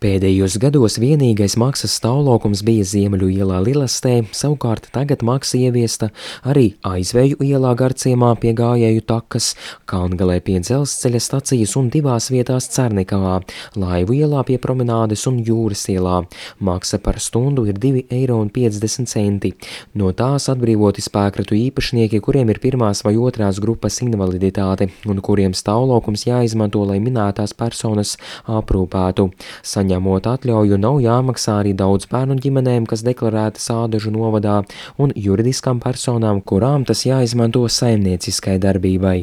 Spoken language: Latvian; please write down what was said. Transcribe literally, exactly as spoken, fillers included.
Pēdējos gados vienīgais maksas stāvlaukums bija Ziemeļu ielā Lilastē, savukārt tagad maksa ieviesta arī Aizveju ielā Garciemā pie Gājēju takas, Kalngalē pie dzelzceļa stacijas un divās vietās Cernikavā, Laivu ielā pie promenādes un Jūras ielā. Maksa par stundu ir divi eiro un piecdesmit centi. No tās atbrīvoti spēkratu īpašnieki, kuriem ir pirmās vai otrās grupas invaliditāte un kuriem stāvlaukums jāizmanto, lai minētās personas aprūpētu. Saņemot atļauju, nav jāmaksā arī daudz bērnu ģimenēm, kas deklarētas Ādažu novadā, un juridiskām personām, kurām tas jāizmanto saimnieciskai darbībai.